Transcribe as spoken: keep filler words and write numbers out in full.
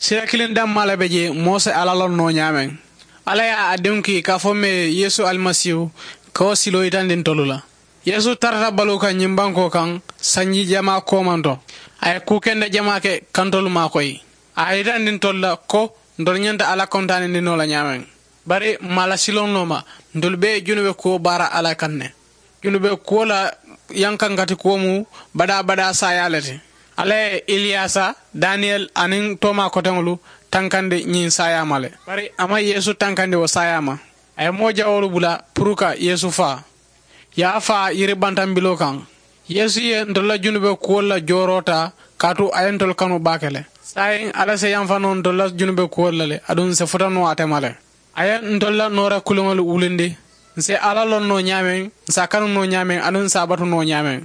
Sila kiliŋ dammaa le be jee moo si alla loŋ noo ñaameŋ. Alla ye a diŋo kii ka a fo mee yeesu alimasiihu ka wo siloo yitandi ntolu la. Yeesu tarata baluu kaŋ ñiŋ bankoo kaŋ sanji jamaa koomanto. A ye kuu kende jamaa ke ka ntolu maakoyi. A ye yitandi ntolu la ko ntolu ñanta alla kontaanindi noo la ñaameŋ. Bari m̀ maŋ a la siloŋ noo ma. Ntolu bee ye junube kuwo baara alla kaŋ ne. Junube kuwo la yankankati kuwo mu badaa badaa saayaa le ti. Alla ye iliyaasa daniyeli aniŋ toomaa koteŋolu tankandi ñiŋ saayaa ma le. Bari a maŋ yeesu tankandi wo saayaa ma. A ye moo jawoolu bula puru ka yeesu faa. Ye a faa yiri bantambiloo kaŋ. Yeesu ye ntolu la junube kuwolu la jooroo taa kaatu a ye ntolu kanu baake le. Saayiŋ alla si yanfa noo ntolu la junube kuwolu la le aduŋ ǹ si futa noo ate ma le. A ye ntolu la noora kuliŋolu wulindi. Ǹ si alla loŋ noo ñaameŋ, ǹ si a kanu noo ñaameŋ aduŋ ǹ si a batu noo ñaameŋ.